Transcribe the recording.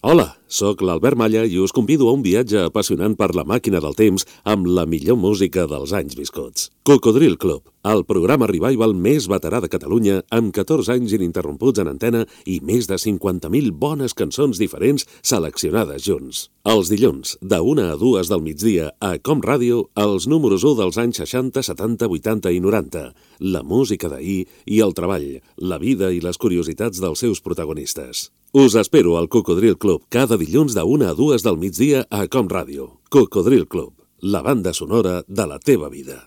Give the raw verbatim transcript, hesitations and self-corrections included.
Hola, sóc l'Albert Malla i us convido a un viatge apassionant per la màquina del temps amb la millor música dels anys viscuts. Cocodril Club, el programa revival més veterà de Catalunya, amb catorze anys ininterromputs en antena i més de cinquanta mil bones cançons diferents seleccionades junts. Els dilluns, de una a dues del migdia, a Com Ràdio, els números u dels anys seixanta, setanta, vuitanta i noranta, la música d'ahir i el treball, la vida i les curiositats dels seus protagonistes. Us espero al Cocodril Club cada dilluns de una a dues del migdia a Com Ràdio. Cocodril Club, la banda sonora de la teva vida.